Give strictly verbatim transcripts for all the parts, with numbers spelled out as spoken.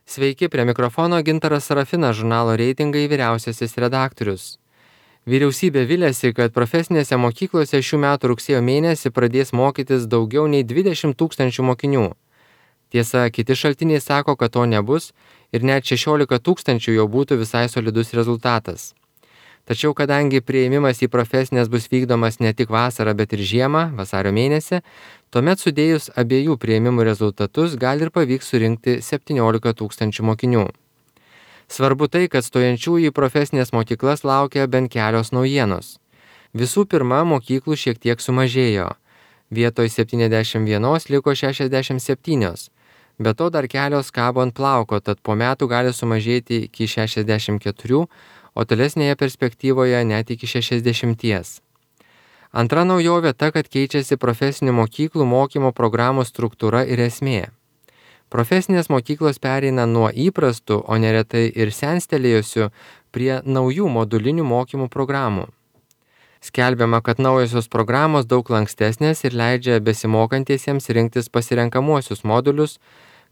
Sveiki, prie mikrofono Gintaras Sarafinas, žurnalo Reitingai vyriausiasis redaktorius. Vyriausybė viliasi, kad profesinėse mokyklose šių metų rugsėjo mėnesį pradės mokytis daugiau nei dvidešimt tūkstančių mokinių. Tiesa, kiti šaltiniai sako, kad to nebus ir net šešiolika tūkstančių jau būtų visai solidus rezultatas. Tačiau kadangi priėmimas į profesinės bus vykdomas ne tik vasarą, bet ir žiemą, vasario mėnesį, tuomet sudėjus abiejų priėmimų rezultatus gali ir pavyks surinkti septyniolika tūkstančių mokinių. Svarbu tai, kad stojančiųjų į profesinės mokyklas laukia bent kelios naujienos. Visų pirma, mokyklų šiek tiek sumažėjo. Vietoj septyniasdešimt vienos liko šešiasdešimt septynios. Be to dar kelios kabo ant plauko, tad po metų gali sumažėti iki šešiasdešimt keturių, o tolesnėje perspektyvoje net iki šešiasdešimties. Antra naujovė ta, kad keičiasi profesinių mokyklų mokymo programų struktūra ir esmė. Profesinės mokyklos pereina nuo įprastų, o neretai ir senstelėjusių, prie naujų modulinių mokymų programų. Skelbiama, kad naujosios programos daug lankstesnės ir leidžia besimokantiesiems rinktis pasirenkamuosius modulius,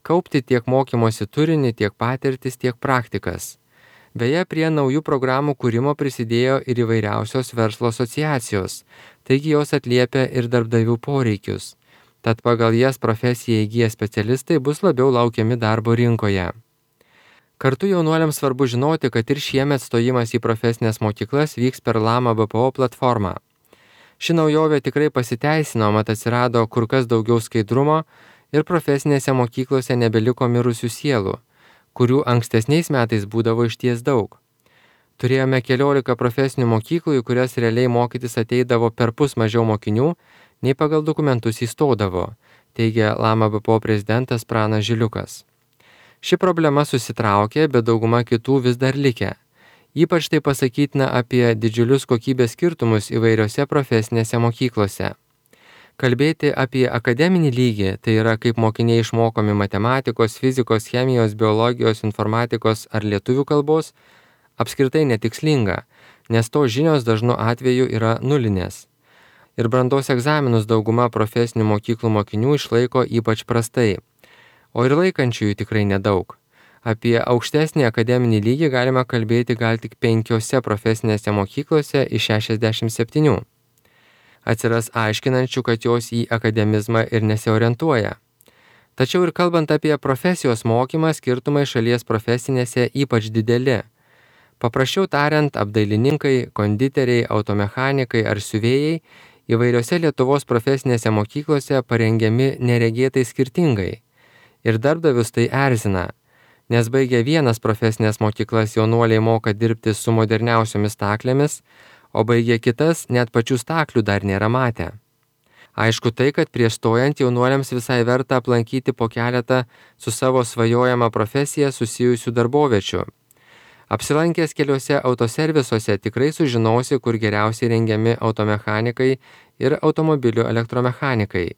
kaupti tiek mokymosi turinį, tiek patirtis, tiek praktikas. Beje, prie naujų programų kūrimo prisidėjo ir įvairiausios verslo asociacijos, taigi jos atliepia ir darbdavių poreikius. Tad pagal jas profesiją įgiję specialistai bus labiau laukiami darbo rinkoje. Kartu jaunuoliams svarbu žinoti, kad ir šiemet stojimas į profesinės mokyklas vyks per Lama B P O platformą. Ši naujovė tikrai pasiteisino, mat atsirado kur kas daugiau skaidrumo ir profesinėse mokyklose nebeliko mirusių sielų, kurių ankstesniais metais būdavo išties daug. Turėjome keliolika profesinių mokyklų, į kurias realiai mokytis ateidavo perpus mažiau mokinių, nei pagal dokumentus įstodavo, teigia Lama B P O prezidentas Pranas Žiliukas. Ši problema susitraukė, bet dauguma kitų vis dar likę. Ypač tai pasakytina apie didžiulius kokybės skirtumus įvairiose profesinėse mokyklose. Kalbėti apie akademinį lygį, tai yra kaip mokiniai išmokomi matematikos, fizikos, chemijos, biologijos, informatikos ar lietuvių kalbos, apskritai netikslinga, nes to žinios dažnu atveju yra nulinės. Ir brandos egzaminus dauguma profesinių mokyklų mokinių išlaiko ypač prastai, o ir laikančiųjų tikrai nedaug. Apie aukštesnį akademinį lygį galima kalbėti gal tik penkiose profesinėse mokyklose iš šešiasdešimt septynių. Atsiras aiškinančių, kad jos į akademizmą ir nesiorientuoja. Tačiau ir kalbant apie profesijos mokymą, skirtumai šalies profesinėse ypač dideli. Paprasčiau tariant, apdailininkai, konditeriai, automechanikai ar siuvėjai įvairiose Lietuvos profesinėse mokyklose parengiami neregėtai skirtingai. Ir darbdavius tai erzina, nes baigę vienas profesinės mokyklas jaunuoliai moka dirbti su moderniausiomis staklėmis, o baigę kitas net pačių staklių dar nėra matę. Aišku tai, kad prieš stojant jaunuoliams visai verta aplankyti po keletą su savo svajojama profesija susijusių darboviečių. Apsilankęs keliuose autoservisuose tikrai sužinosi, kur geriausiai rengiami automechanikai ir automobilių elektromechanikai,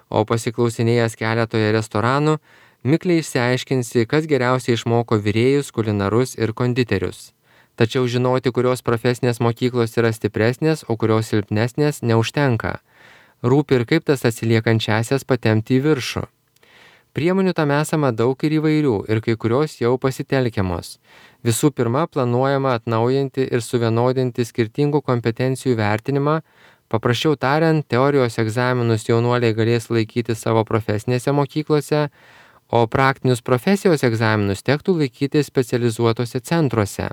o pasiklausinėjęs keletoje restoranų, mikliai išsiaiškinsi, kas geriausiai išmoko virėjus, kulinarus ir konditerius. Tačiau žinoti, kurios profesinės mokyklos yra stipresnės, o kurios silpnesnės, neužtenka. Rūpi ir kaip tas atsiliekančiasias patempti į viršų. Priemonių tam esama daug ir įvairių, ir kai kurios jau pasitelkiamos. Visų pirma, planuojama atnaujinti ir suvienodinti skirtingų kompetencijų vertinimą. Paprasčiau tariant, teorijos egzaminus jaunuoliai galės laikyti savo profesinėse mokyklose, o praktinius profesijos egzaminus tektų laikyti specializuotose centruose,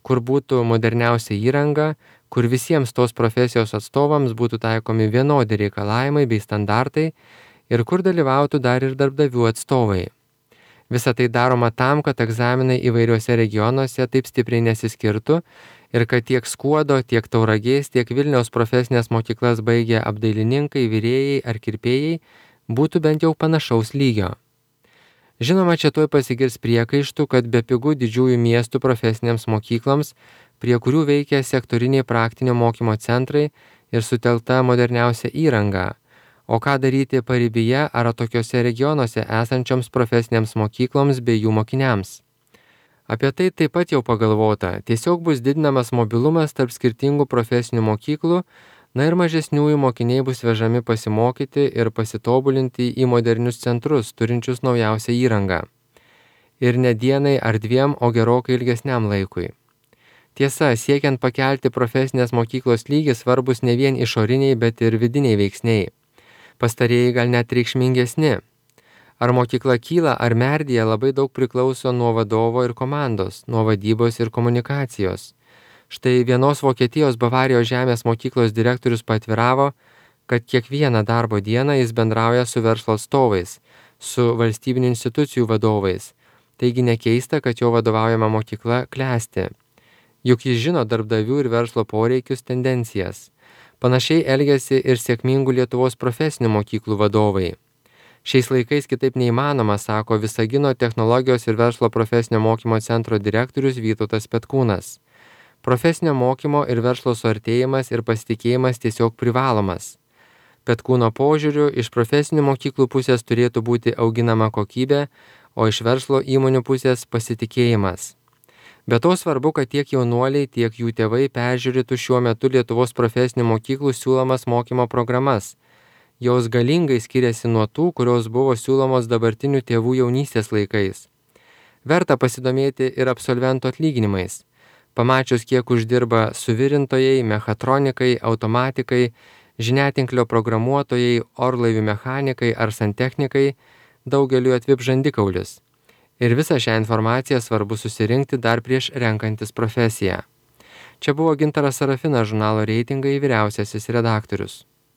kur būtų moderniausia įranga, kur visiems tos profesijos atstovams būtų taikomi vienodi reikalavimai bei standartai ir kur dalyvautų dar ir darbdavių atstovai. Visa tai daroma tam, kad egzaminai įvairiuose regionuose taip stipriai nesiskirtų ir kad tiek Skuodo, tiek Tauragės, tiek Vilniaus profesinės mokyklas baigę apdailininkai, virėjai ar kirpėjai būtų bent jau panašaus lygio. Žinoma, čia tuoj pasigirs priekaištų, kad bepigu didžiųjų miestų profesinėms mokykloms, prie kurių veikia sektoriniai praktinio mokymo centrai ir sutelta moderniausia įranga. O ką daryti paribyje ar tokiuose regionuose esančioms profesinėms mokykloms bei jų mokiniams? Apie tai taip pat jau pagalvota. Tiesiog bus didinamas mobilumas tarp skirtingų profesinių mokyklų, na ir mažesniųjų mokiniai bus vežami pasimokyti ir pasitobulinti į modernius centrus, turinčius naujausią įrangą. ir ne dienai ar dviem, o gerokai ilgesniam laikui. Tiesa, siekiant pakelti profesinės mokyklos lygį svarbus ne vien išoriniai, bet ir vidiniai veiksniai. Pastarieji gal net reikšmingesni. Ar mokykla kyla ar merdėja labai daug priklauso nuo vadovo ir komandos, nuo vadybos ir komunikacijos. Štai vienos Vokietijos Bavarijos žemės mokyklos direktorius paatviravo, kad kiekvieną darbo dieną jis bendrauja su verslo atstovais, su valstybinių institucijų vadovais. Taigi nekeista, kad jo vadovaujama mokykla klesti. Juk jis žino darbdavių ir verslo poreikius, tendencijas. Panašiai elgiasi ir sėkmingų Lietuvos profesinių mokyklų vadovai. Šiais laikais kitaip neįmanoma, sako Visagino technologijos ir verslo profesinio mokymo centro direktorius Vytautas Petkūnas. Profesinio mokymo ir verslo suartėjimas ir pasitikėjimas tiesiog privalomas. Petkūno požiūriu, iš profesinių mokyklų pusės turėtų būti auginama kokybė, o iš verslo įmonių pusės pasitikėjimas. Be to svarbu, kad tiek jaunuoliai, tiek jų tėvai peržiūrėtų šiuo metu Lietuvos profesinių mokyklų siūlomas mokymo programas. Jos galingai skiriasi nuo tų, kurios buvo siūlomos dabartinių tėvų jaunystės laikais. Verta pasidomėti ir absolventų atlyginimais. Pamačius, kiek uždirba suvirintojai, mechatronikai, automatikai, žiniatinklio programuotojai, orlaivių mechanikai ar santechnikai, daugeliu atvip žandikaulis. Ir visą šią informaciją svarbu susirinkti dar prieš renkantis profesiją. Čia buvo Gintaras Sarafinas, žurnalo Reitingai vyriausiasis redaktorius.